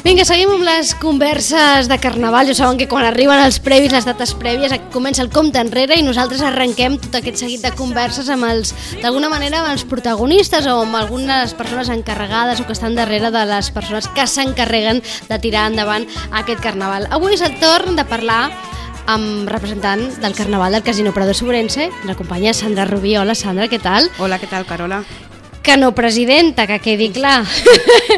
Vinga, seguim amb les converses de Carnaval. Ja saben que quan arriben els previs, les dates prèvies, comença el compte enrere i nosaltres arrenquem tot aquest seguit de converses amb d'alguna manera amb els protagonistes o amb algunes persones encarregades o que estan darrere de les persones que s'encarreguen de tirar endavant aquest Carnaval. Avui és el torn de parlar amb representant del Carnaval del Casino Prado Sobrense. Ens acompanya Sandra Rubí. Hola, Sandra, què tal? Hola, què tal, Carola? Que no presidenta, que quedi clar.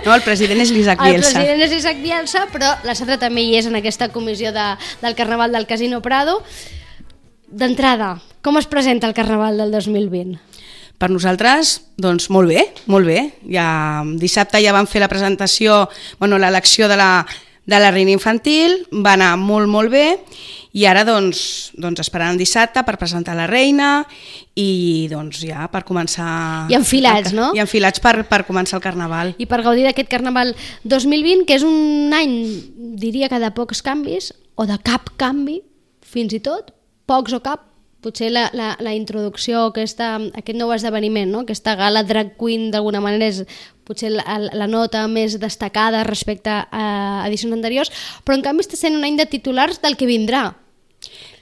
No, el president és l'Isaac Bielsa. El president és l'Isaac Bielsa, però la Sandra també hi és en aquesta comissió del Carnaval del Casino Prado. D'entrada, com es presenta el Carnaval del 2020? Per nosaltres, doncs molt bé, molt bé. Dissabte ja vam fer la presentació, l'elecció de la reina infantil, va anar molt, molt bé, i ara doncs esperant el dissabte per presentar la reina i doncs ja per començar... I enfilats, no? I enfilats per començar el Carnaval. I per gaudir d'aquest Carnaval 2020, que és un any, diria que de pocs canvis, o de cap canvi, fins i tot, pocs o cap. Potser la introducció, aquest nou esdeveniment, no? Aquesta gala drag queen d'alguna manera és potser la nota més destacada respecte a edicions anteriors, però en canvi està sent un any de titulars del que vindrà.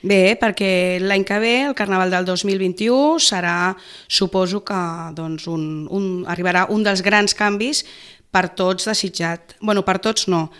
Bé, perquè l'any que ve, el Carnaval del 2021, serà, suposo que arribarà un dels grans canvis per tots desitjat. Bueno, per tots no.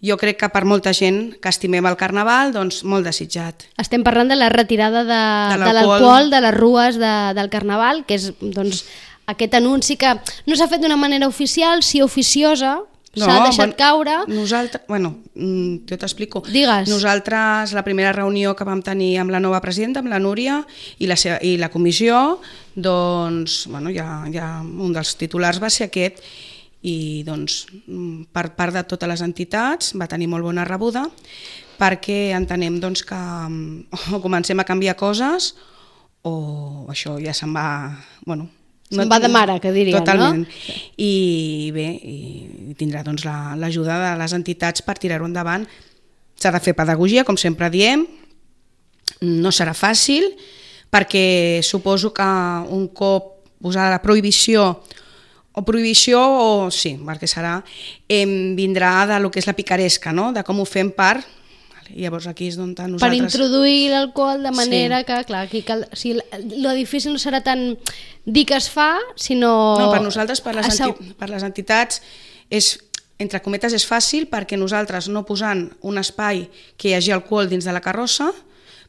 Jo crec que per molta gent que estimem el Carnaval, doncs molt desitjat. Estem parlant de la retirada de l'alcohol de les rues del Carnaval, que és doncs, aquest anunci que no s'ha fet d'una manera oficial, sí oficiosa, s'ha deixat caure. Nosaltres, jo t'explico. Digues. Nosaltres, la primera reunió que vam tenir amb la nova presidenta, amb la Núria, i la comissió, doncs, ja un dels titulars va ser aquest, i doncs per part de totes les entitats va tenir molt bona rebuda perquè entenem doncs, que o comencem a canviar coses o això ja se'n va... Se'n va de mare, que diríem, totalment. No? I bé, i tindrà doncs, l'ajuda de les entitats per tirar-ho endavant. S'ha de fer pedagogia, com sempre diem, no serà fàcil perquè suposo que un cop posada la prohibició sí, perquè serà, vindrà de lo que és la picaresca, no? De com ho fem per... Llavors aquí és on nosaltres... Per introduir l'alcohol de manera que, clar, aquí lo difícil no serà tant dir que es fa, sinó... No, per nosaltres, per les entitats, entre cometes és fàcil perquè nosaltres no posant un espai que hi hagi alcohol dins de la carrossa,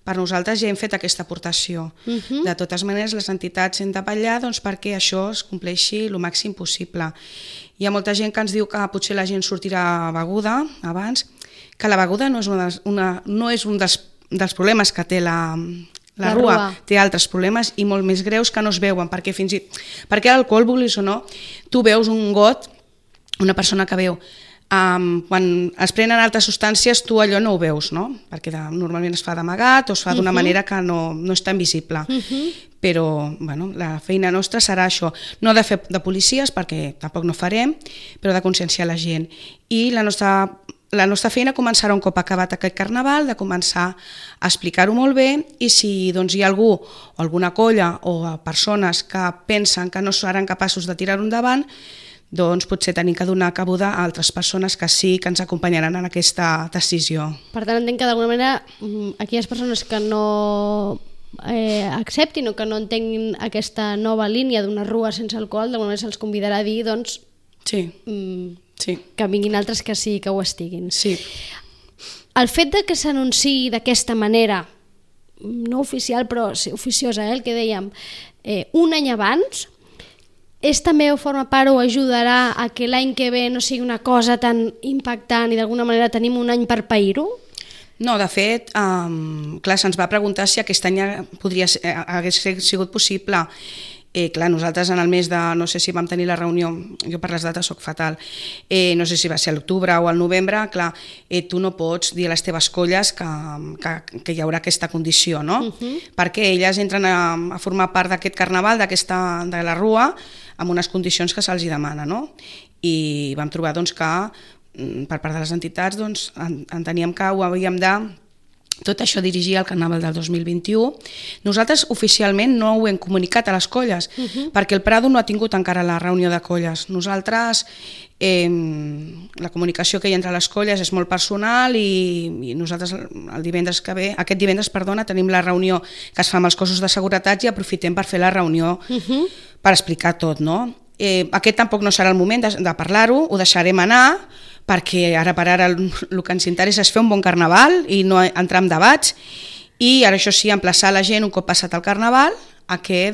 per nosaltres ja hem fet aquesta aportació. De totes maneres, les entitats hem de vetllar perquè això es compleixi el màxim possible. Hi ha molta gent que ens diu que potser la gent sortirà beguda abans, que la beguda no és un dels problemes que té la rua, té altres problemes i molt més greus que no es veuen, perquè l'alcohol, vulguis o no, tu veus un got, una persona que veu, quan es prenen altres substàncies tu allò no ho veus, no? Perquè normalment es fa d'amagat o es fa d'una manera que no és tan visible, però la feina nostra serà això, no de fer de policies perquè tampoc no farem, però de conscienciar la gent, i la nostra feina començarà un cop acabat aquest Carnaval, de començar a explicar-ho molt bé, i si hi ha algú o alguna colla o persones que pensen que no seran capaços de tirar-ho endavant, doncs potser tenim que donar cabuda a altres persones que sí que ens acompanyaran en aquesta decisió. Per tant, entenc que d'alguna manera aquelles persones que no acceptin o que no entenguin aquesta nova línia d'una rua sense alcohol, d'alguna manera se'ls convidarà a dir doncs, sí. Que vinguin altres que sí que ho estiguin. Sí. El fet de que s'anunciï d'aquesta manera, no oficial però sí, oficiosa, el que dèiem, un any abans, també forma part o ajudarà a que l'any que ve no sigui una cosa tan impactant i d'alguna manera tenim un any per pair-ho? No, de fet, clar, se'ns va preguntar si aquest any hagués sigut possible. Clar, nosaltres en el mes de, no sé si vam tenir la reunió, jo per les dates soc fatal, no sé si va ser a l'octubre o al novembre, clar, tu no pots dir a les teves colles que hi haurà aquesta condició, no? Perquè elles entren a formar part d'aquest Carnaval, de la rua, amb unes condicions que se'ls demana, no? I vam trobar doncs, que per part de les entitats enteníem que ho havíem de tot això dirigia al Carnaval del 2021. Nosaltres oficialment no ho hem comunicat a les colles, perquè el Prado no ha tingut encara la reunió de colles. Nosaltres la comunicació que hi ha entre les colles és molt personal i nosaltres aquest divendres tenim la reunió que es fa amb els cossos de seguretat i aprofitem per fer la reunió per explicar tot, no? Aquest tampoc no serà el moment de parlar-ho, ho deixarem anar, perquè ara per ara el que ens interessa és fer un bon carnaval i no entrar en debats, i ara això sí, emplaçar la gent un cop passat el carnaval a que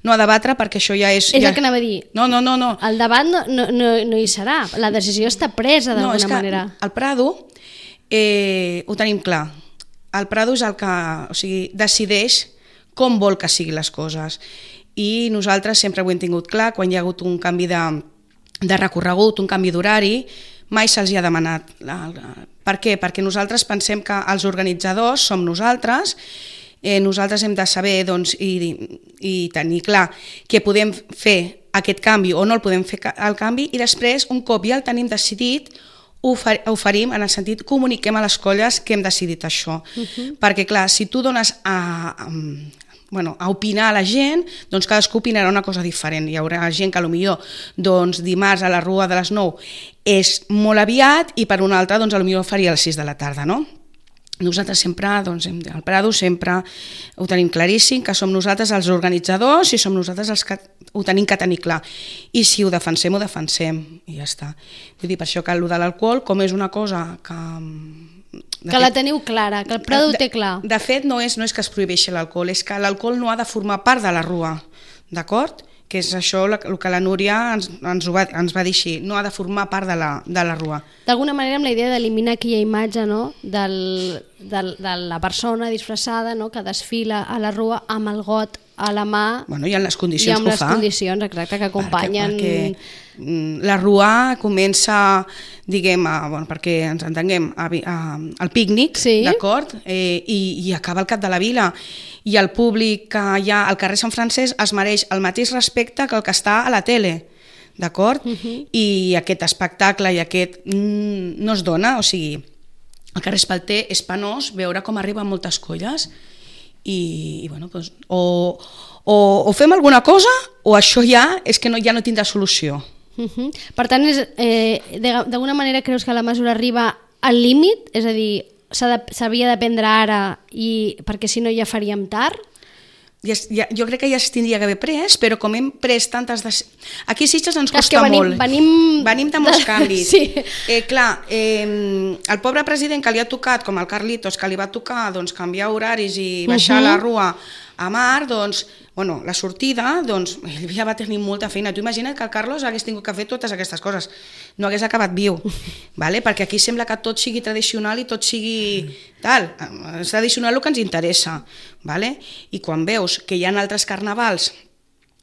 no a debatre, perquè això ja és... És el que anava a dir. No. El debat no hi serà, la decisió està presa d'alguna manera. No, és que el Prado ho tenim clar. El Prado és el que decideix com vol que siguin les coses. I nosaltres sempre ho hem tingut clar, quan hi ha hagut un canvi de recorregut, un canvi d'horari, mai se'ls ha demanat. Per què? Perquè nosaltres pensem que els organitzadors som nosaltres hem de saber i tenir clar que podem fer aquest canvi o no el podem fer el canvi, i després, un cop ja el tenim decidit, ho oferim en el sentit, comuniquem a les colles que hem decidit això. Perquè clar, si tu dones a opinar a la gent, doncs cadascú opinarà una cosa diferent. Hi haurà gent que potser dimarts a la Rua de les 9 és molt aviat i per una altra potser faria a les 6 de la tarda, no? Nosaltres sempre, al Prado sempre ho tenim claríssim, que som nosaltres els organitzadors i som nosaltres els que ho tenim que tenir clar. I si ho defensem, i ja està. Vull dir, per això que el de l'alcohol, com és una cosa que... la teniu clara, que el Prado ho té clar. De fet, no és que es prohibeixi l'alcohol, és que l'alcohol no ha de formar part de la Rua, d'acord? Que és això el que la Núria ens va dir així, no ha de formar part de la Rua. D'alguna manera, amb la idea d'eliminar aquella imatge, no? de la persona disfressada, no? Que desfila a la Rua amb el got a la mà, i en les condicions que ho fa. I amb les condicions, exacte, que acompanyen... Perquè la Rua comença, perquè ens entenguem, al pícnic, d'acord? I acaba al cap de la vila. I el públic que hi ha al carrer Sant Francesc es mereix el mateix respecte que el que està a la tele, d'acord? I aquest espectacle i aquest no es dona, o sigui, al carrer Espalter és penós veure com arriben moltes colles i o fem alguna cosa o això ja és que ja no tindrà solució. Per tant, d'alguna manera creus que la mesura arriba al límit? És a dir, s'havia de prendre ara perquè si no ja faríem tard? Jo crec que ja es tindria que haver pres, però com hem pres tantes... Aquí a Sitges ens costa molt. Venim de molts canvis. Clar, el pobre president que li ha tocat, com el Carlitos, que li va tocar canviar horaris i baixar la Rua a mar, la sortida, ell ja va tenir molta feina. Tu imagina't que el Carlos hagués tingut que fer totes aquestes coses. No hagués acabat viu, perquè aquí sembla que tot sigui tradicional i tot sigui tal. És tradicional el que ens interessa. I quan veus que hi ha altres carnavals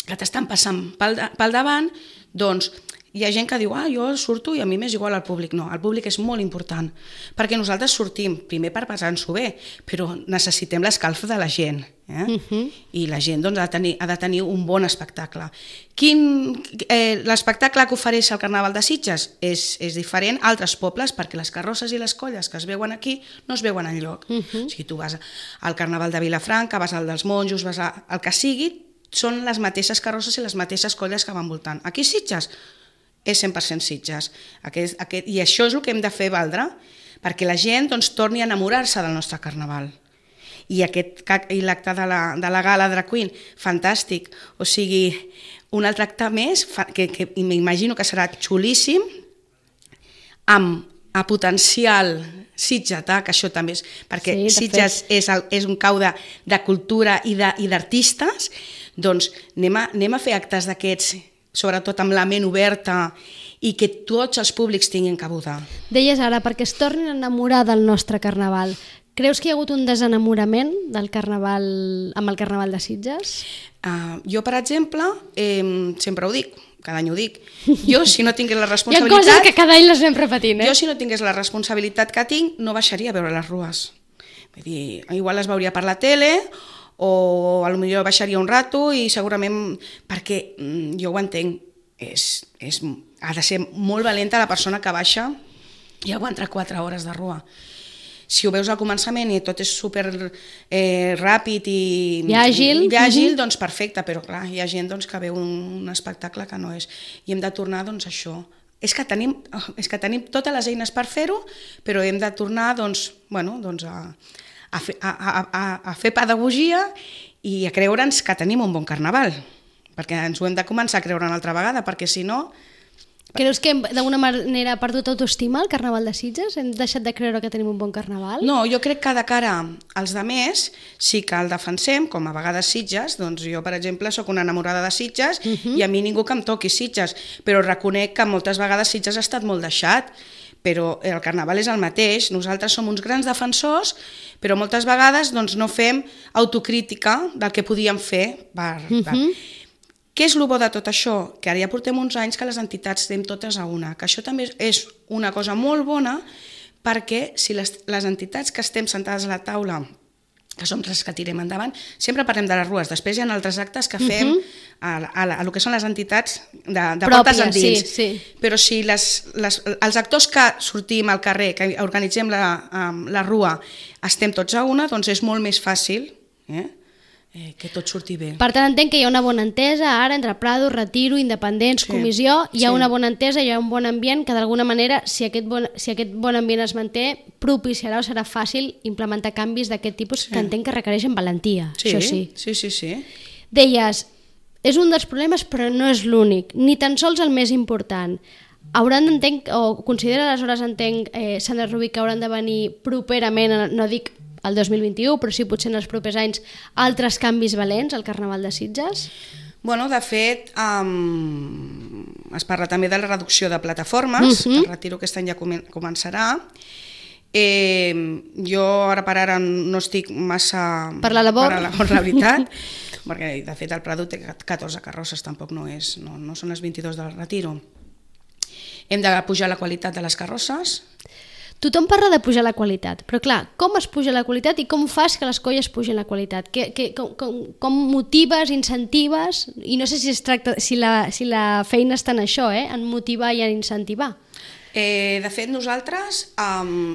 que t'estan passant pel davant, doncs hi ha gent que diu, jo surto i a mi m'és igual al públic. No, el públic és molt important, perquè nosaltres sortim, primer per passar-nos-ho bé, però necessitem l'escalf de la gent. I la gent ha de tenir un bon espectacle. L'espectacle que ofereix el Carnaval de Sitges és diferent a altres pobles, perquè les carrosses i les colles que es veuen aquí no es veuen enlloc. O sigui, tu vas al Carnaval de Vilafranca, vas al dels Monjos, vas al que sigui, són les mateixes carrosses i les mateixes colles que van voltant. Aquí a Sitges és 100% Sitges. I això és el que hem de fer valdre, perquè la gent torni a enamorar-se del nostre carnaval. I l'acte de la gala Drag Queen, fantàstic. O sigui, un altre acte més, que m'imagino que serà xulíssim, amb a potencial sitgetà, que això també és... Perquè Sitges és un cau de cultura i d'artistes, doncs anem a fer actes d'aquests, sobretot amb la ment oberta i que tots els públics tinguin cabuda. Deies ara, perquè es tornin a enamorar del nostre carnaval. Creus que hi ha hagut un desenamorament del carnaval amb el Carnaval de Sitges? Jo, per exemple, sempre ho dic, cada any ho dic, jo si no tingués la responsabilitat... Hi ha coses que cada any les anem repetint, Jo si no tingués la responsabilitat que tinc, no baixaria a veure les rues. Vull dir, igual les veuria per la tele o potser baixaria un rato i segurament, perquè jo ho entenc, ha de ser molt valenta la persona que baixa i aguanta 4 hores de rua. Si ho veus al començament i tot és super ràpid i àgil, doncs perfecte, però clar, hi ha gent que veu un espectacle que no és. I hem de tornar a això. és que tenim totes les eines per fer-ho, però hem de tornar a fer pedagogia i a creure'ns que tenim un bon carnaval, perquè ens ho hem de començar a creure una altra vegada, perquè si no... Creus que d'alguna manera ha perdut autoestima el Carnaval de Sitges? Hem deixat de creure que tenim un bon carnaval? No, jo crec que de cara als altres sí que el defensem, com a vegades Sitges, doncs jo, per exemple, sóc una enamorada de Sitges i a mi ningú que em toqui Sitges, però reconec que moltes vegades Sitges ha estat molt deixat, però el carnaval és el mateix, nosaltres som uns grans defensors, però moltes vegades doncs, no fem autocrítica del que podíem fer Què és el bo de tot això? Que ara ja portem uns anys que les entitats estem totes a una, que això també és una cosa molt bona perquè si les entitats que estem sentades a la taula, que som les que tirem endavant, sempre parlem de les rues, després hi ha altres actes que fem a el que són les entitats de portes endins. Sí. Però si els actors que sortim al carrer, que organitzem la rua, estem tots a una, doncs és molt més fàcil, que tot surti bé. Per tant, entenc que hi ha una bona entesa ara entre Prado, Retiro, Independents, Comissió, hi ha una bona entesa, hi ha un bon ambient que d'alguna manera, si aquest bon ambient es manté, propiciarà o serà fàcil implementar canvis d'aquest tipus que entenc que requereixen valentia. Això sí. Sí. Deies, és un dels problemes però no és l'únic, ni tan sols el més important. Considera aleshores, Sandra Rubí, que hauran de venir properament, no dic el 2021, però sí potser en els propers anys, altres canvis valents al Carnaval de Sitges? Bueno, de fet, es parla també de la reducció de plataformes, el Retiro aquest any ja començarà. Jo ara per ara no estic massa per la labor, la veritat, perquè de fet el Prado té 14 carrosses, tampoc no són les 22 del Retiro. Hem de pujar la qualitat de les carrosses. Tothom parla de pujar la qualitat, però clar, com es puja la qualitat i com fas que les colles pugin la qualitat? Com motives, incentives? I no sé si la feina està en això, en motivar i en incentivar. De fet, nosaltres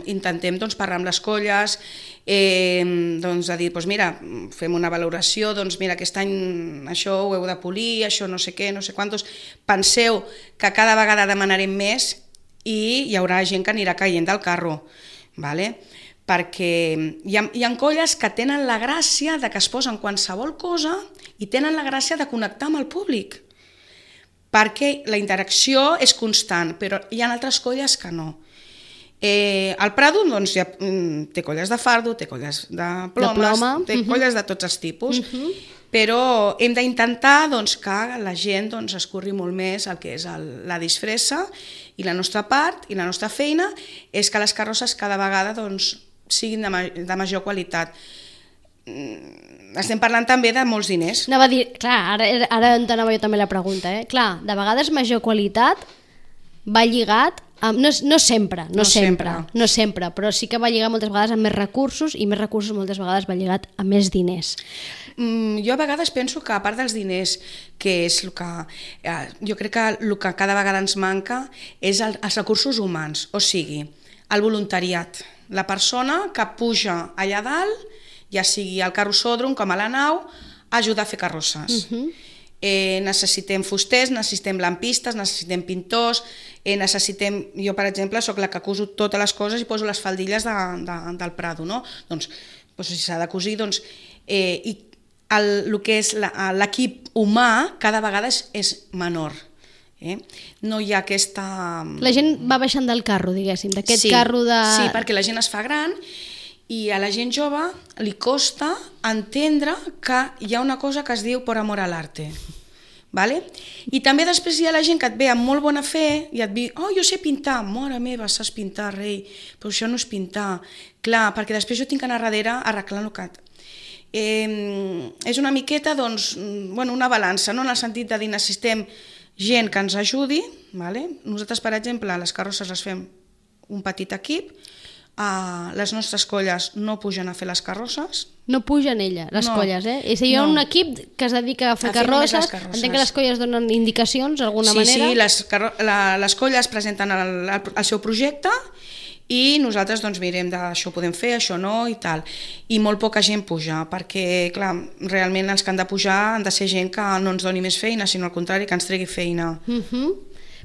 intentem parlar amb les colles, de dir, mira, fem una valoració, mira, aquest any això ho heu de polir, això no sé què, no sé quantos. Penseu que cada vegada demanarem més i hi haurà gent que anirà caient del carro, perquè hi ha colles que tenen la gràcia de que es posen qualsevol cosa i tenen la gràcia de connectar amb el públic, perquè la interacció és constant, però hi ha altres colles que no. El Prado té colles de fardo, té colles de plomes, té colles de tots els tipus, però hem d'intentar que la gent escorri molt més el que és la disfressa, i la nostra part i la nostra feina és que les carrosses cada vegada siguin de major qualitat. Estem parlant també de molts diners. Anava a dir, clar, ara entenava jo també la pregunta, Clar, de vegades major qualitat va lligat amb, no sempre, però sí que va lligat moltes vegades amb més recursos, i més recursos moltes vegades va lligat a més diners. Jo a vegades penso que a part dels que és el que... Jo crec que el que cada vegada ens manca és els recursos humans, o sigui, el voluntariat. La persona que puja allà dalt, ja sigui al carrossòdrom com a la nau, a ajudar a fer carrosses. Necessitem fusters, necessitem lampistes, necessitem pintors, jo per exemple soc la que coso totes les coses i poso les faldilles del Prado, no? Doncs si s'ha de cosir, i el que és l'equip humà cada vegada és menor. No hi ha aquesta... La gent va baixant del carro, diguéssim, d'aquest carro de... Sí, perquè la gent es fa gran i a la gent jove li costa entendre que hi ha una cosa que es diu por amor al arte. I també després hi ha la gent que et ve amb molt bona fe i et diu, jo sé pintar, mare meva, saps pintar, rei, però això no és pintar. Clar, perquè després jo tinc que anar darrere arreglant el que... És una miqueta, una balança, en el sentit de dir, necessitem gent que ens ajudi. Nosaltres, per exemple, les carrosses les fem un petit equip, les nostres colles no pugen a fer les carrosses. No pugen les colles, És a dir, hi ha un equip que es dedica a fer carrosses, entenc que les colles donen indicacions d'alguna manera. Sí, les colles presenten el seu projecte i nosaltres mirem això ho podem fer, això no i tal. I molt poca gent puja, perquè clar, realment els que han de pujar han de ser gent que no ens doni més feina, sinó al contrari, que ens tregui feina.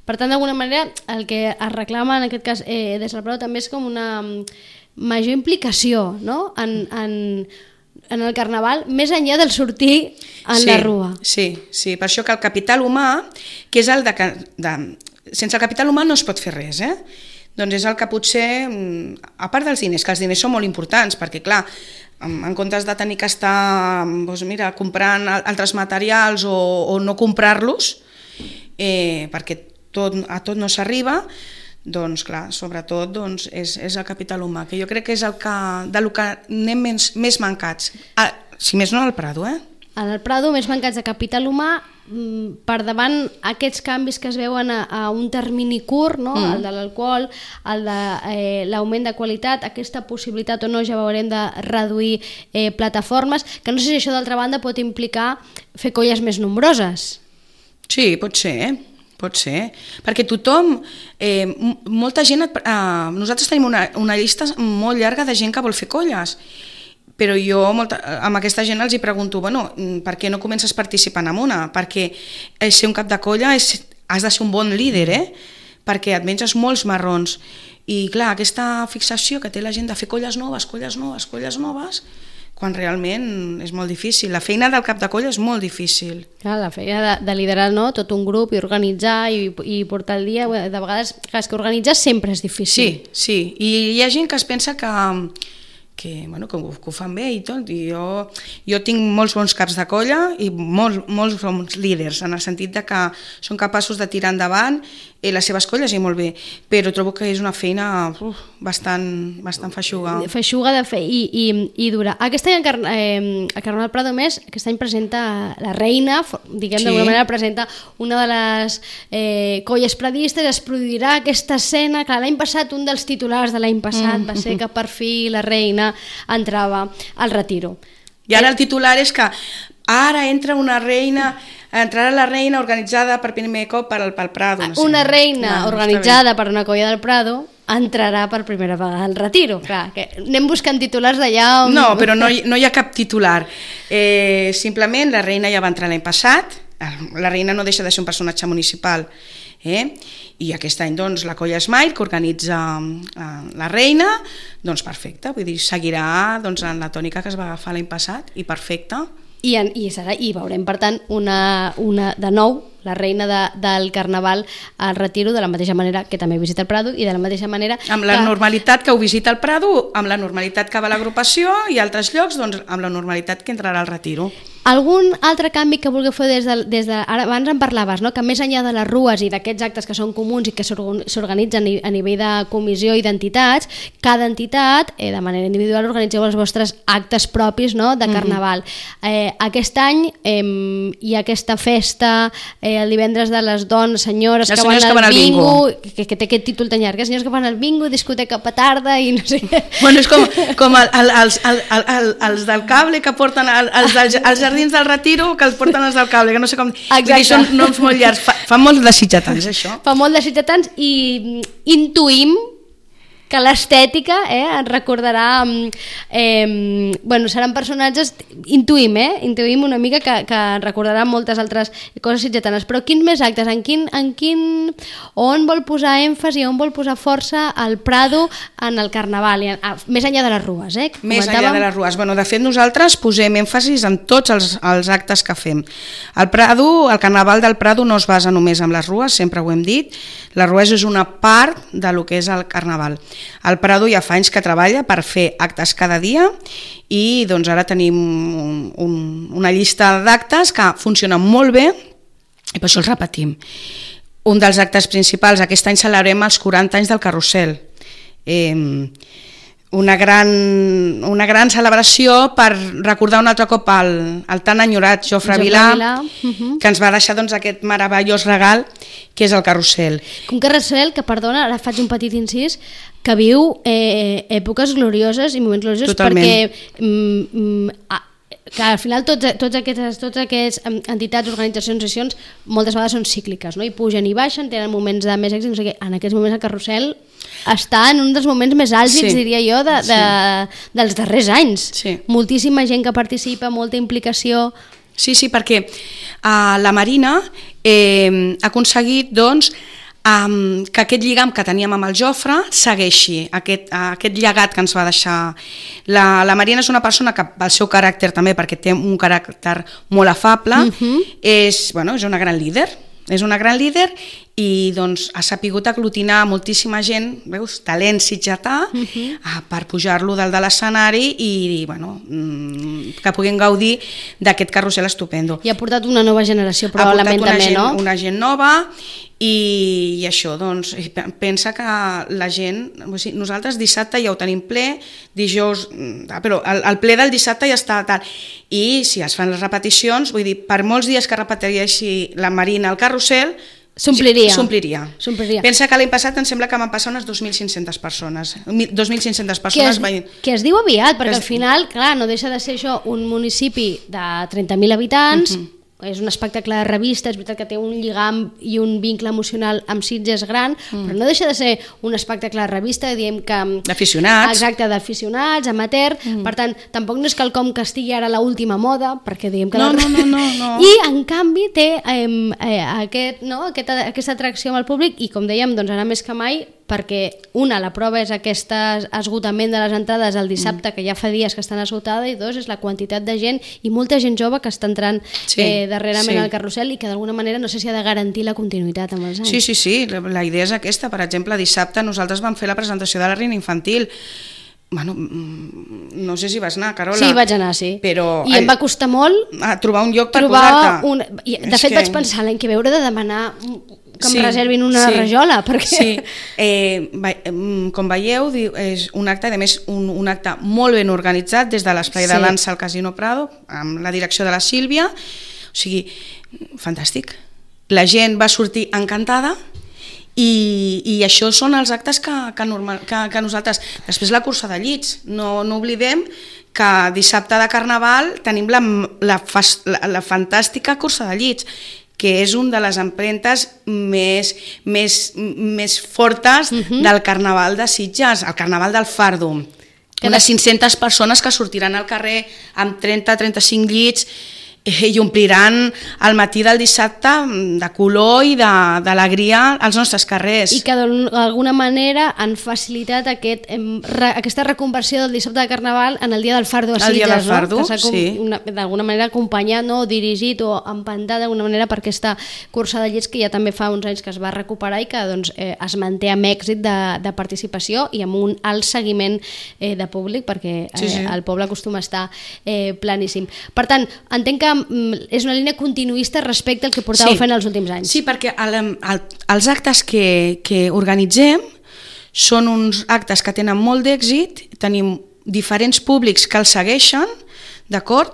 Per tant, d'alguna manera, el que es reclama en aquest cas des del Prado també és com una major implicació, no?, en el Carnaval, més enllà del sortir en la rua. Sí, per això que el capital humà, que és el sense el capital humà no es pot fer res, doncs és el que potser, a part dels diners, que els diners són molt importants, perquè clar, en comptes de tenir que estar comprant altres materials o no comprar-los, perquè a tot no s'arriba, doncs clar, sobretot és el capital humà, que jo crec que és del que anem més mancats, si més no al Prado. En el Prado més mancats de capital humà, per davant aquests canvis que es veuen a un termini curt, no? El de l'alcohol, el de l'augment de qualitat, aquesta possibilitat o no, ja veurem, de reduir plataformes, que no sé si això d'altra banda pot implicar fer colles més nombroses. Sí, pot ser, perquè tothom, molta gent, nosaltres tenim una llista molt llarga de gent que vol fer colles, però jo amb aquesta gent els pregunto, per què no comences participant en una? Perquè ser un cap de colla has de ser un bon líder, perquè et menges molts marrons. I clar, aquesta fixació que té la gent de fer colles noves, quan realment és molt difícil. La feina del cap de colla és molt difícil. Clar, la feina de liderar tot un grup i organitzar i portar el dia, de vegades, és que organitzar sempre és difícil. Sí, i hi ha gent que es pensa que ho fan bé i tot, i jo tinc molts bons caps de colla i molts bons líders, en el sentit de que són capaços de tirar endavant les seves colles i molt bé, però trobo que és una feina bastant feixuga. Feixuga de fer i dura. Aquest any a Carnaval Prado Més, aquest any presenta la reina, diguem d'alguna manera, presenta una de les colles pradistes, es produirà aquesta escena, que l'any passat un dels titulars de l'any passat va ser que per fi la reina entrava al retiro. I ara el titular és que ara entrarà la reina organitzada per primer cop pel Prado. Una reina organitzada per una colla del Prado entrarà per primera vegada al retiro. Clar, que anem buscant titulars d'allà on... No, però no hi ha cap titular. Simplement la reina ja va entrar l'any passat, la reina no deixa de ser un personatge municipal, i aquest any la colla Smile, que organitza la reina, doncs perfecte, vull dir, seguirà en la tònica que es va agafar l'any passat, i perfecte. I veurem, per tant, de nou la reina del Carnaval al retiro, de la mateixa manera que també visita el Prado i de la mateixa manera... Amb la normalitat que ho visita el Prado, amb la normalitat que va a l'agrupació i a altres llocs, doncs amb la normalitat que entrarà al retiro. Algun altre canvi que vulgueu fer des de... Ara, abans en parlaves, no?, que més enllà de les rues i d'aquests actes que són comuns i que s'organitzen a nivell de comissió i d'entitats, cada entitat, de manera individual, organitzeu els vostres actes propis, no?, de Carnaval. Aquest any hi ha aquesta festa el divendres de les dones, senyores que van al bingo, que té aquest títol tan llarg, senyors que van al bingo, discoteca petarda i no sé què. Bueno, és com els del cable que porten els jardins del retiro, que els porten els del cable, que no sé com... Exacte. Són noms molt llargs, fa molt de sitjatans, això. Fa molt de sitjatans i intuïm que l'estètica ens recordarà... seran personatges... Intuïm una mica que recordarà moltes altres coses sitjatanes. Però quins més actes? On vol posar èmfasi, on vol posar força el Prado en el Carnaval? Més enllà de les rues, Més enllà de les rues. De fet, nosaltres posem èmfasis en tots els actes que fem. El Carnaval del Prado no es basa només en les rues, sempre ho hem dit. Les rues és una part del que és el Carnaval. El Prado ja fa anys que treballa per fer actes cada dia i ara tenim una llista d'actes que funcionen molt bé i per això els repetim. Un dels actes principals, aquest any celebrem els 40 anys del Carrusel. Una gran celebració per recordar un altre cop el tan enyorat Jofre Vilà, que ens va deixar aquest meravellós regal que és el Carrusel. Un Carrusel que, perdona, ara faig un petit incís, que viu èpoques glorioses i moments gloriosos. Totalment. Perquè que al final tots aquests entitats, organitzacions, associacions moltes vegades són cícliques, no? I pugen i baixen, tenen moments de més èxit, no sé què. En aquests moments el Carrusel està en un dels moments més àlgids, diria jo, dels darrers anys. Sí. Moltíssima gent que participa, molta implicació. Sí, perquè la Marina ha aconseguit que aquest lligam que teníem amb el Jofre segueixi, aquest llegat que ens va deixar. La Marina és una persona que, pel seu caràcter també, perquè té un caràcter molt afable, és una gran líder. És una gran líder i doncs, ha sapigut aglutinar moltíssima gent, veus, talent sitgetà, per pujar-lo dalt de l'escenari i que puguin gaudir d'aquest carrusel estupendo. I ha portat una nova generació, probablement també, no? Una gent nova i això, doncs, pensa que la gent, nosaltres dissabte ja ho tenim ple, dijous, però el ple del dissabte ja està tal, i si es fan les repeticions, vull dir, per molts dies que repeteixi la Marina al carrusel, s'ompliria. Pensa que l'any passat em sembla que van passar unes 2.500 persones. 2.500 persones que es diu aviat, perquè al final, clar, no deixa de ser això un municipi de 30.000 habitants, és un espectacle de revista, és veritat que té un lligam i un vincle emocional amb Sitges gran, però no deixa de ser un espectacle de revista, diem que... D'aficionats. Exacte, d'aficionats, amateur, per tant, tampoc no és quelcom que estigui ara a l'última moda, perquè diem que... No. I, en canvi, té aquesta atracció amb el públic i, com dèiem, doncs ara més que mai, perquè la prova és aquest esgotament de les entrades el dissabte, que ja fa dies que estan esgotades, i dos, és la quantitat de gent i molta gent jove que està entrant darrerament al carrusel i que d'alguna manera no sé si ha de garantir la continuïtat amb els anys. Sí, la idea és aquesta. Per exemple, dissabte nosaltres vam fer la presentació de la Reina Infantil. No sé si vas anar, Carola. Sí, vaig anar, sí. Però i em va costar molt trobar un lloc per posar-te. De fet, vaig pensar l'any que ve hauré de demanar que em reservin una rajola, perquè... Com veieu, és un acte, a més, un acte molt ben organitzat des de l'esplai de dansa al Casino Prado, amb la direcció de la Sílvia, o sigui, fantàstic. La gent va sortir encantada i això són els actes que nosaltres... Després la cursa de llits, no oblidem que dissabte de Carnaval tenim la fantàstica cursa de llits, que és una de les empremtes més fortes del Carnaval de Sitges, el Carnaval del Fardo. Unes 500 persones que sortiran al carrer amb 30-35 llits i ompliran el matí del dissabte de color i d'alegria als nostres carrers. I que d'alguna manera han facilitat aquesta reconversió del dissabte de Carnaval en el dia del Fardo a Sitges. El dia del Fardo, sí. D'alguna manera acompanyat o dirigit o empantat d'alguna manera per aquesta cursa de llits que ja també fa uns anys que es va recuperar i que es manté amb èxit de participació i amb un alt seguiment de públic, perquè el poble acostuma a estar planíssim. Per tant, entenc que és una línia continuista respecte al que portàveu fent els últims anys. Sí, perquè els actes que organitzem són uns actes que tenen molt d'èxit, tenim diferents públics que els segueixen, d'acord?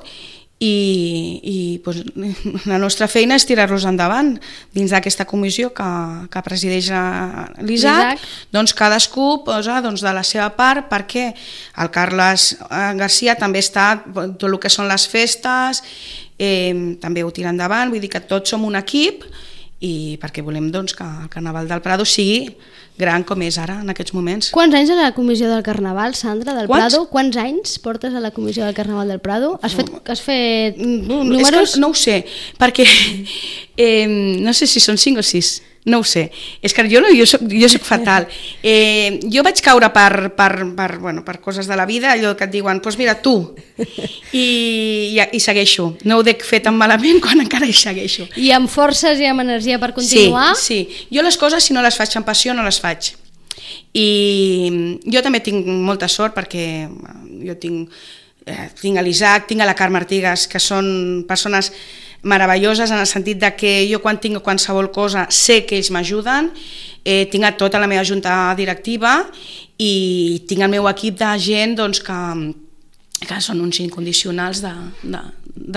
I la nostra feina és tirar-los endavant dins d'aquesta comissió que presideix l'Isaac. Doncs cadascú posa de la seva part, perquè el Carles Garcia també està tot el que són les festes, també ho tira endavant, vull dir que tots som un equip i perquè volem que el Carnaval del Prado sigui gran com és ara, en aquests moments. Quants anys a la comissió del Carnaval, Sandra, del Prado? Quants anys portes a la comissió del Carnaval del Prado? Has fet números? No ho sé, perquè no sé si són 5 o 6. No ho sé, és que jo soc fatal. Jo vaig caure per coses de la vida, allò que et diuen, doncs mira, tu, i segueixo. No ho dec fer tan malament quan encara hi segueixo. I amb forces i amb energia per continuar? Sí. Jo les coses, si no les faig amb passió, no les faig. I jo també tinc molta sort perquè jo tinc a l'Isaac, tinc a la Carme Artigas, que són persones meravelloses en el sentit de que jo quan tinc qualsevol cosa sé que ells m'ajuden, tinc a tota la meva junta directiva i tinc el meu equip de gent que són uns incondicionals de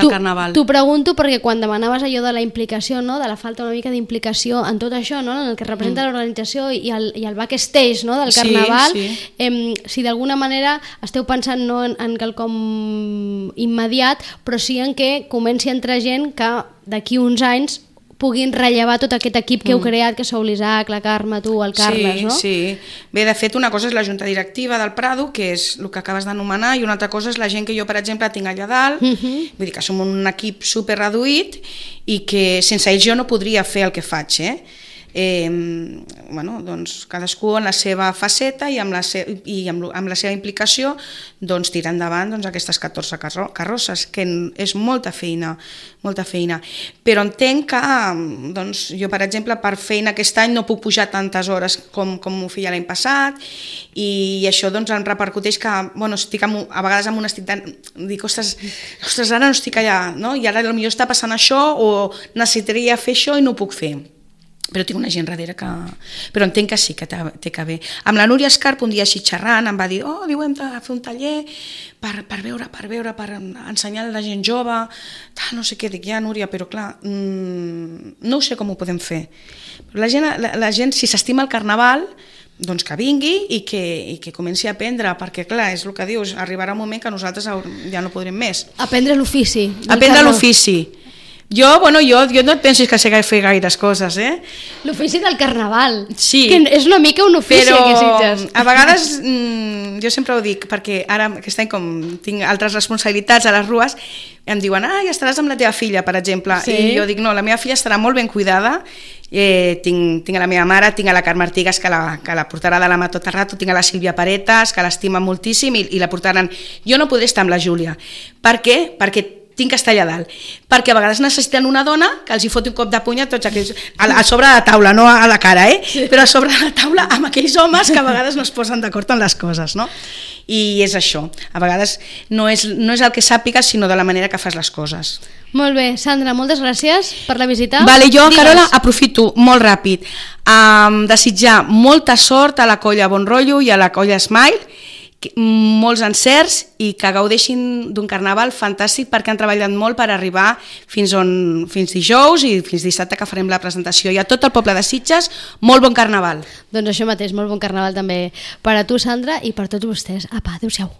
Carnaval. T'ho pregunto perquè quan demanaves allò de la implicació, no? De la falta una mica d'implicació en tot això, no? En el que representa l'organització i el backstage, no? Del Carnaval, si d'alguna manera esteu pensant no en quelcom immediat, però sí en que comenci a entrar gent que d'aquí uns anys puguin rellevar tot aquest equip que heu creat, que sou l'Isaac, la Carme, tu, el Carles, no? Sí. Bé, de fet, una cosa és la junta directiva del Prado, que és el que acabes d'anomenar, i una altra cosa és la gent que jo, per exemple, tinc allà dalt, vull dir que som un equip super reduït i que sense ells jo no podria fer el que faig, doncs, cadascú en la seva faceta i amb la seva implicació doncs, tirar endavant doncs, aquestes 14 carrosses, que és molta feina. Però entenc que doncs, jo, per exemple, per feina aquest any no puc pujar tantes hores com m'ho feia l'any passat, i això doncs, em repercuteix que estic a vegades amb un estic dic, ostres, ara no estic allà, no? I ara potser està passant això o necessitaria fer això i no ho puc fer. Però tinc una gent darrere que... Però entenc que sí, que té que haver. Amb la Núria Escarp, un dia així xerrant, em va dir, hem de fer un taller per veure, per ensenyar a la gent jove, no sé què, dic, ja, Núria, però clar, no sé com ho podem fer. La gent, si s'estima el carnaval, doncs que vingui i que comenci a aprendre, perquè clar, és el que dius, arribarà un moment que nosaltres ja no podrem més. Aprendre l'ofici. Aprendre l'ofici. Jo no et pensis que sé fer gaires coses, L'ofici del carnaval. Sí. Que és una mica un ofici, però aquí Sitges. A vegades, jo sempre ho dic, perquè ara aquest any com tinc altres responsabilitats a les rues, em diuen, ja estaràs amb la teva filla, per exemple. Sí. I jo dic, no, la meva filla estarà molt ben cuidada. Tinc a la meva mare, tinc a la Carme Artigas, que la portarà de la mà tot el rato, tinc a la Sílvia Paretas, que l'estima moltíssim i la portaran. Jo no podré estar amb la Júlia. Per què? Perquè tinc que estar allà dalt, perquè a vegades necessiten una dona que els hi foti un cop de puny a tots aquells, a sobre de la taula, no a la cara, sí. Però a sobre de la taula amb aquells homes que a vegades no es posen d'acord en les coses, no? I és això, a vegades no és el que sàpigues, sinó de la manera que fas les coses. Molt bé, Sandra, moltes gràcies per la visita. Vale, jo, Carola, aprofito molt ràpid desitjar molta sort a la colla Bon Rotllo i a la colla Smile, molts encerts i que gaudeixin d'un carnaval fantàstic, perquè han treballat molt per arribar fins dijous i fins dissabte que farem la presentació. I a tot el poble de Sitges, molt bon carnaval. Doncs això mateix, molt bon carnaval també per a tu, Sandra, i per tots vostès. Apa, adéu-siau.